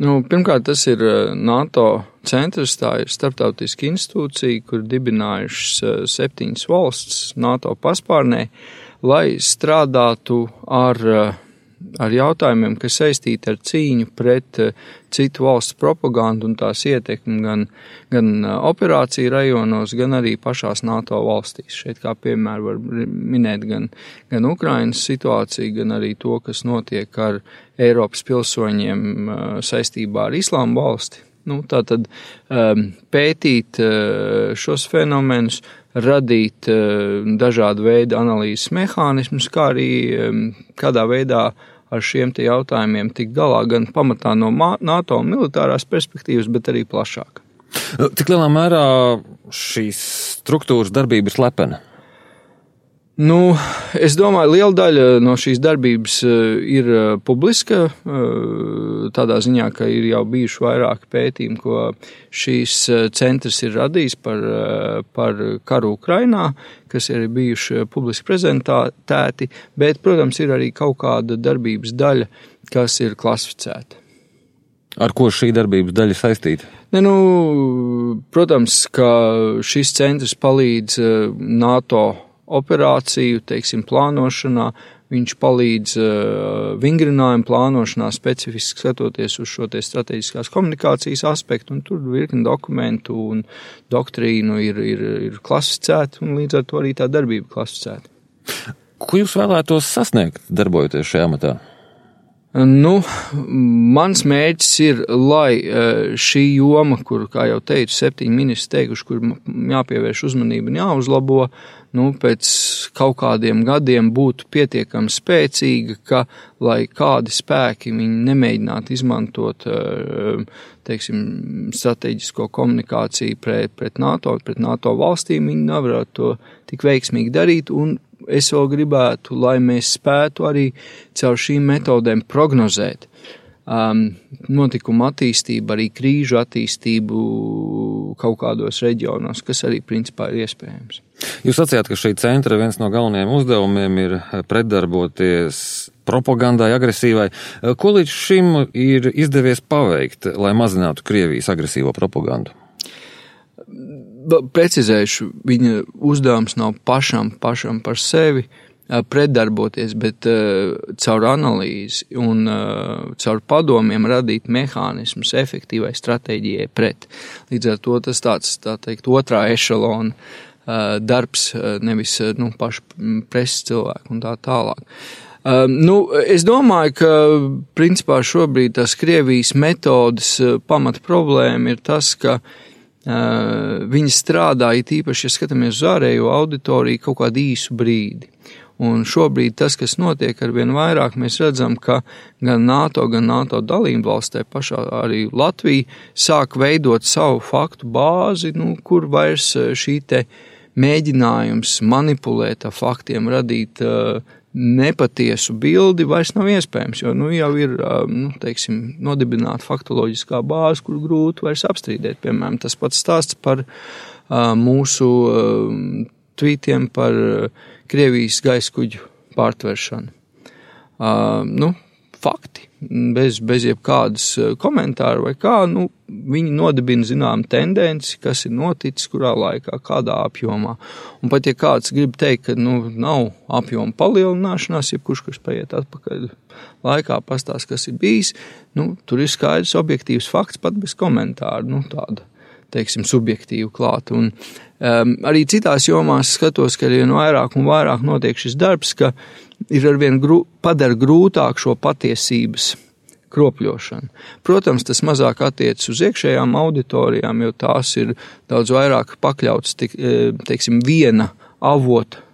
Pirmkārt, tas ir NATO centrs, tā ir starptautiska institūcija, kur dibinājušas 7 valsts NATO paspārnē, lai strādātu ar jautājumiem, kas saistīti ar cīņu pret citu valstu propagandu un tās ietekmi gan operāciju rajonos, gan arī pašās NATO valstīs. Šeit kā piemēru var minēt gan Ukrainas situāciju, gan arī to, kas notiek ar Eiropas pilsoņiem saistībā ar Islāma valsti. Tātad pētīt šos fenomenus, radīt dažādu veidu analīzes mehānismus, kā arī kādā veidā ar šiem te jautājumiem tikt galā gan pamatā no NATO militārās perspektīvas, bet arī plašāk. Cik lielā mērā šīs struktūras darbība ir slepena? Es domāju, liela daļa no šīs darbības ir publiska, tādā ziņā, ka ir jau bijuši vairāki pētījumi, ko šīs centrs ir radījis par karu Ukrainā, kas ir bijuši publiski prezentēti, bet, protams, ir arī kaut kāda darbības daļa, kas ir klasificēta. Ar ko šī darbības daļa saistīta? Protams, ka šis centrs palīdz NATO operāciju, plānošanā, viņš palīdz vingrinājumu plānošanā, specifiski skatoties uz šo te strateģiskās komunikācijas aspektu, un tur virkni dokumentu un doktrīnu ir klasificēta, un līdz ar to arī tā darbība klasificēta. Ko jūs vēlētos sasniegt, darbojoties šajā amatā? Mans mērķis ir, lai šī joma, kur, kā jau teicu, 7 ministri teikuši, kur jāpievērš uzmanība un jāuzlabo, pēc kaut kādiem gadiem būtu pietiekami spēcīga, ka, lai kādi spēki viņi nemēģinātu izmantot, strateģisko komunikāciju pret NATO valstīm, viņi nevarētu to tik veiksmīgi darīt, un es vēl gribētu, lai mēs spētu arī caur šīm metodēm prognozēt notikumu attīstību, arī krīžu attīstību kaut kādos reģionos, kas arī principā ir iespējams. Jūs sacījāt, ka šī centra viens no galvenajiem uzdevumiem ir pretdarboties propagandai, agresīvai. Ko līdz šim ir izdevies paveikt, lai mazinātu Krievijas agresīvo propagandu? Precizēšu, viņa uzdevums nav pašam par sevi pretdarboties, bet caur analīzi un caur padomiem radīt mehānismus efektīvai stratēģijai pret. Līdz ar to tas tāds, tā teikt, otrā ešalona darbs, nevis paši preses cilvēku un tā tālāk. Es domāju, ka principā šobrīd tās Krievijas metodas pamata problēma ir tas, ka viņi strādā, it īpaši, ja skatāmies uz ārējo auditoriju, kaut kādu īsu brīdi. Un šobrīd tas, kas notiek arvien vairāk, mēs redzam, ka gan NATO dalību valstī pašā arī Latvija sāk veidot savu faktu bāzi, kur vairs šī te mēģinājums manipulēt ar faktiem, radīt nepatiesu bildi vairs nav iespējams, jo jau ir, nodibināta faktoloģiskā bāze, kur grūti vairs apstrīdēt. Piemēram, tas pats stāsts par mūsu tvītiem par Krievijas gaiskuģu pārtveršanu. Fakti, bez jebkādas komentāru vai kā, viņi nodibina zinām tendenci, kas ir noticis, kurā laikā, kādā apjomā. Un pat ja kāds grib teikt, ka nav apjoma palielināšanās, jebkurš, kas paiet atpakaļ laikā, pastāst, kas ir bijis, tur ir skaidrs objektīvs fakts pat bez komentāru, tāda, subjektīva klāta. Un arī citās jomās skatos, ka arvien vairāk un vairāk notiek šis darbs, ka ir arvien padara grūtāk šo patiesības kropļošanu. Protams, tas mazāk attiecas uz iekšējām auditorijām, jo tās ir daudz vairāk pakļautas, viena avota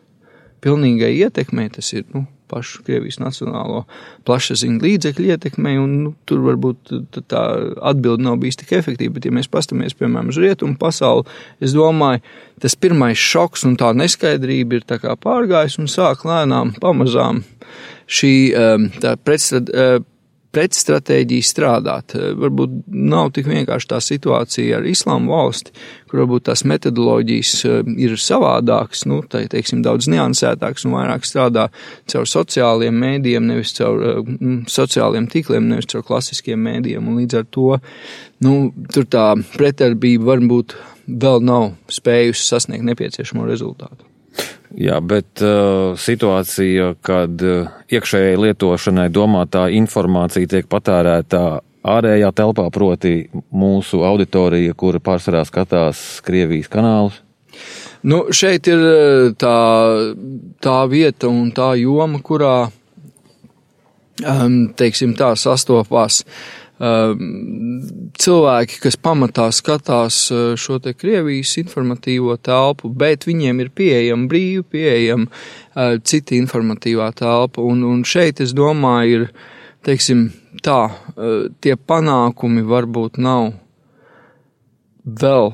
pilnīgai ietekmei, tas ir, pašu Krievijas nacionālo plašsaziņu līdzekļu ietekmei, un tur varbūt tā atbilde nav bijis tik efektīva, bet ja mēs pastamies, piemēram, uz rietumu pasauli, es domāju, tas pirmais šoks un tā neskaidrība ir tā kā pārgājis un sāk lēnām, pamazām šī pretstratēģiju strādāt. Varbūt nav tik vienkārši tā situācija ar Islāma valsti, kur varbūt tās metodoloģijas ir savādākas, teiksim, daudz niansētākas un vairāk strādā caur sociāliem mēdījiem, nevis caur sociāliem tīkliem, nevis caur klasiskiem mēdījiem, un līdz ar to, tur tā pretdarbība varbūt vēl nav spējusi sasniegt nepieciešamo rezultātu. Jā, bet situācija, kad iekšējai lietošanai domātā informācija tiek patērētā ārējā telpā, proti mūsu auditorija, kura pārsvarā skatās Krievijas kanālus? Šeit ir tā vieta un tā joma, kurā, teiksim tā, sastopās cilvēki, kas pamatā skatās šo te Krievijas informatīvo telpu, bet viņiem ir brīvi pieejama cita informatīvā telpa, un šeit, es domāju, ir, teiksim, tā, tie panākumi varbūt nav vēl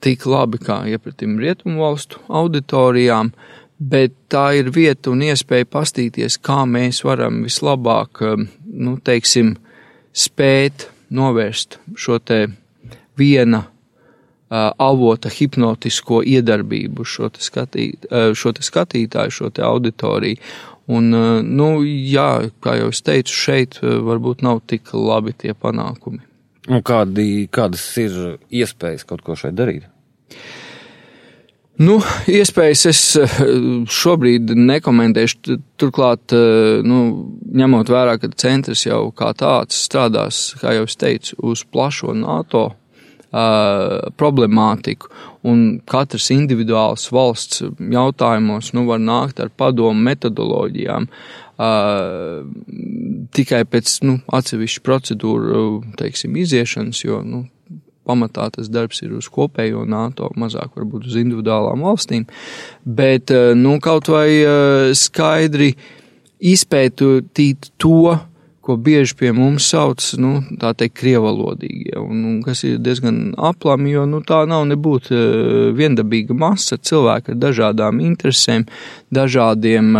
tik labi kā iepratim rietumu valstu auditorijām, bet tā ir vieta un iespēja pastīties, kā mēs varam vislabāk, teiksim, spēt novērst šo te viena avota hipnotisko iedarbību šo te skatītāju, šo te auditoriju. Un, jā, kā jau es teicu, šeit varbūt nav tik labi tie panākumi. Un kādas ir iespējas kaut ko šeit darīt? Iespējas es šobrīd nekomentēšu, turklāt, ņemot vērā, ka centrs jau kā tāds strādās, kā jau es teicu, uz plašo NATO problemātiku, un katrs individuāls valsts jautājumos, var nākt ar padomu metodoloģijām, tikai pēc, atsevišķu procedūru, teiksim, iziešanas, jo, pamatā tas darbs ir uz kopējo NATO, mazāk varbūt uz individuālām valstīm, bet, kaut vai skaidri izpētīt to, ko bieži pie mums sauc, tā teikt, krievalodīgie, un kas ir diezgan aplami, jo, tā nav nebūt viendabīga masa cilvēku ar dažādām interesēm, dažādiem,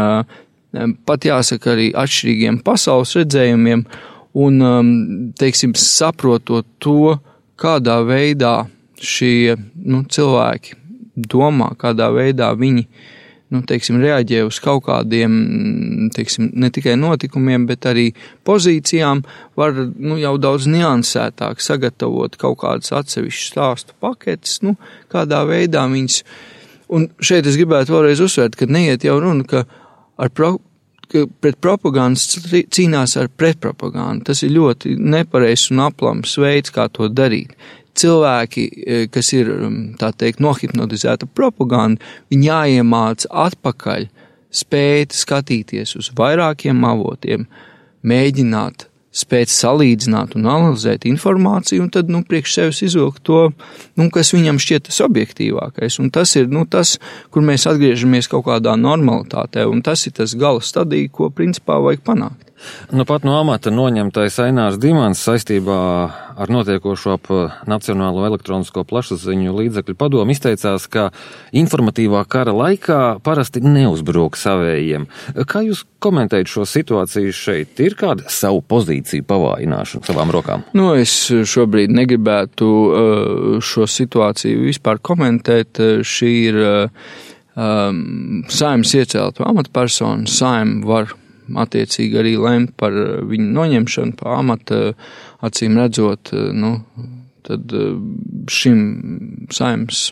pat jāsaka arī atšķirīgiem pasaules redzējumiem, un, teiksim, saprotot to, kādā veidā šie cilvēki domā, kādā veidā viņi reaģē uz kaut kādiem, ne tikai notikumiem, bet arī pozīcijām, var jau daudz niansētāk sagatavot kaut kādas atsevišķas stāstu paketes, kādā veidā viņas. Un šeit es gribētu vēlreiz uzsvērt, ka neiet jau runa, ka pret propagandas cīnās ar pretpropagandu. Tas ir ļoti nepareizs un aplams veids, kā to darīt. Cilvēki, kas ir, tā teikt, nohipnotizēta propaganda, viņi jāiemāc atpakaļ spēt skatīties uz vairākiem avotiem, mēģināt spēt salīdzināt un analizēt informāciju un tad, priekš sevis izvilkt to, kas viņam šķiet tas objektīvākais. Un tas ir, tas, kur mēs atgriežamies kaut kādā normalitātē, un tas ir tas gala stadija, ko principā vajag panākt. Pat no amata noņemtais Ainārs Dimants saistībā ar notiekošo ap Nacionālo elektronisko plašsaziņu līdzekļu padomu izteicās, ka informatīvā kara laikā parasti neuzbruk savējiem. Kā jūs komentējat šo situāciju šeit? Ir kāda savu pozīciju pavājināšana savām rokām? Es šobrīd negribētu šo situāciju vispār komentēt. Šī ir Saeimas iecelta amatpersona. Saeima var attiecīgi arī lemt par viņu noņemšanu pa amata, acīm redzot, tad šim Saeimas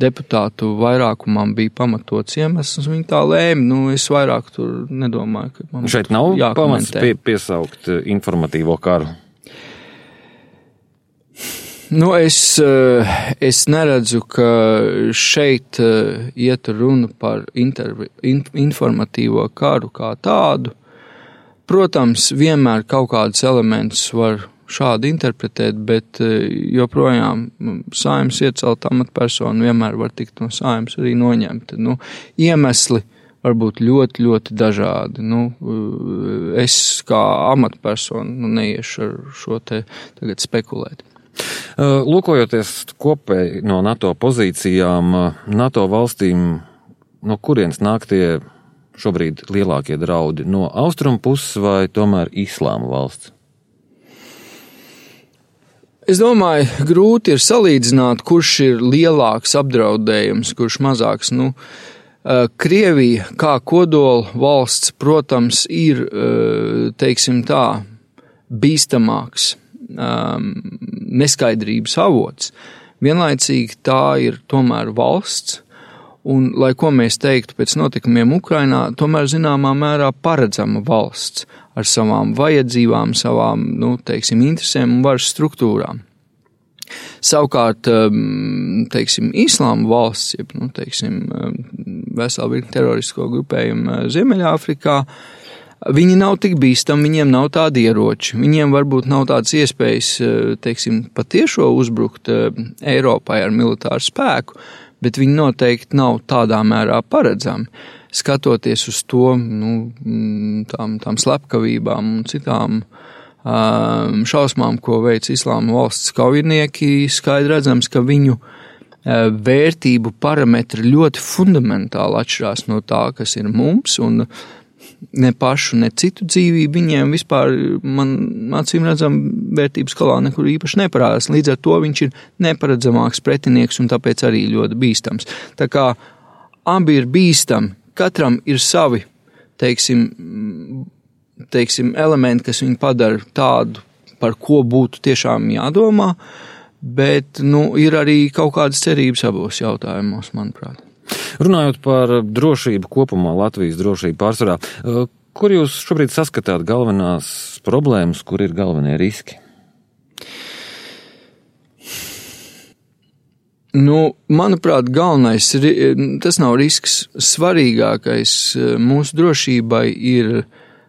deputātu vairākumam bija pamatots iemesls, viņi tā lēma, es vairāk tur nedomāju, ka man šeit nav pamats piesaukt informatīvo karu. Es neredzu, ka šeit iet runa par informatīvo karu kā tādu. Protams, vienmēr kaut kādus elementus var šādi interpretēt, bet joprojām Saeimas iecelta amatpersona vienmēr var tikt no Saeimas arī noņemta. Iemesli var būt ļoti, ļoti dažādi. Es kā amatpersona neiešu ar šo te tagad spekulēt. Lūkojoties kopēji no NATO pozīcijām, NATO valstīm, no kurienes nāk tie šobrīd lielākie draudi? No austrumu puses vai tomēr Islāma valsts? Es domāju, grūti ir salīdzināt, kurš ir lielāks apdraudējums, kurš mazāks. Krievija kā kodola valsts, protams, ir, teiksim tā, bīstamāks neskaidrības avots. Vienlaicīgi tā ir tomēr valsts, un, lai ko mēs teiktu pēc notikumiem Ukrainā, tomēr zināmā mērā paredzama valsts ar savām vajadzībām, savām, teiksim, interesēm un varas struktūrām. Savukārt, teiksim, Islāma valsts, jeb, teiksim, vesela virkne teroristisko grupējumu Ziemeļāfrikā, viņi nav tik bīstami, viņiem nav tādi ieroči, viņiem varbūt nav tādas iespējas, teiksim, patiešo uzbrukt Eiropai ar militāru spēku, bet viņi noteikti nav tādā mērā paredzami. Skatoties uz to, tām slepkavībām un citām šausmām, ko veic Islāma valsts kaujinieki, skaidri redzams, ka viņu vērtību parametri ļoti fundamentāli atšķirās no tā, kas ir mums, un ne pašu, ne citu dzīvību viņiem vispār, man acīm redzam, vērtības skalā nekur īpaši neparādās. Līdz ar to viņš ir neparedzamāks pretinieks un tāpēc arī ļoti bīstams. Tā kā abi ir bīstami, katram ir savi, teiksim, elementi, kas viņu padara tādu, par ko būtu tiešām jādomā, bet, ir arī kaut kādas cerības abos jautājumos, manuprāt. Runājot par drošību kopumā, Latvijas drošību pārsvarā, kur jūs šobrīd saskatāt galvenās problēmas, kur ir galvenie riski? Manuprāt, galvenais, tas nav risks, svarīgākais mūsu drošībai ir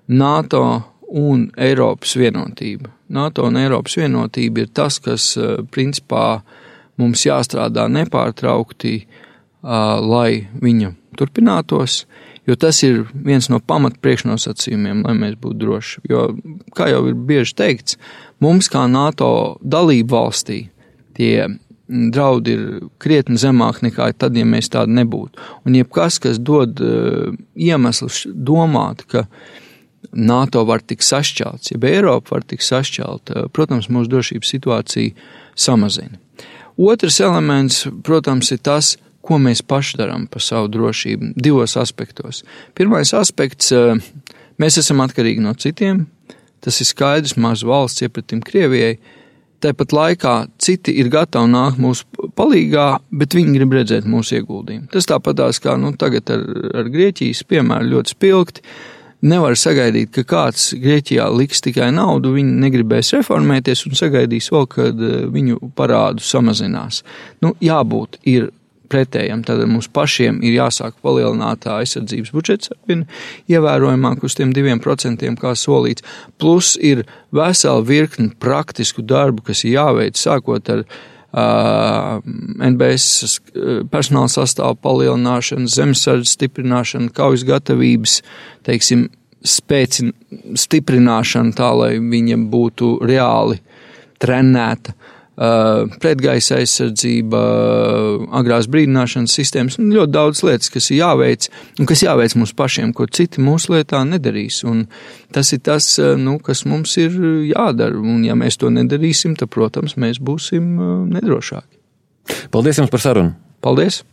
NATO un Eiropas vienotība. NATO un Eiropas vienotība ir tas, kas principā mums jāstrādā nepārtraukti, lai viņa turpinātos, jo tas ir viens no pamat priekšnosacījumiem, lai mēs būtu droši. Jo, kā jau ir bieži teikts, mums kā NATO dalību valstī tie draudi ir krietni zemāk nekā tad, ja mēs tādi nebūtu. Un jebkas, kas dod iemeslus domāt, ka NATO var tik sašķelts, ja Eiropa var tik sašķelt, protams, mūsu drošības situācija samazina. Otrs elements, protams, ir tas, ko mēs paši darām par savu drošību divos aspektos. Pirmais aspekts, mēs esam atkarīgi no citiem, tas ir skaidrs, maza valsts iepratim Krievijai, tāpat laikā citi ir gatavi nākt mūsu palīgā, bet viņi grib redzēt mūsu ieguldījumu. Tas tāpatās kā tagad ar Grieķijas piemēru ļoti spilgti. Nevar sagaidīt, ka kāds Grieķijā liks tikai naudu, viņi negribēs reformēties un sagaidīs vēl, kad viņu parādu samazinās. Jābūt ir pretējam, tad mums pašiem ir jāsāk palielināt aizsardzības budžets ievērojamāk uz tiem 2%, kā solīts, plus ir vesela virkni praktisku darbu, kas ir jāveic, sākot ar NBS personāla sastāvu palielināšanu, zemesardzes stiprināšanu, kaujas gatavības, teiksim, stiprināšanu tā, lai viņa būtu reāli trenēta, pretgaisa aizsardzība, agrās brīdināšanas sistēmas, ļoti daudz lietas, kas ir jāveic, un kas jāveic mums pašiem, ko citi mūsu lietā nedarīs. Un tas ir tas, kas mums ir jādara, un ja mēs to nedarīsim, tad, protams, mēs būsim nedrošāki. Paldies jums par sarunu. Paldies.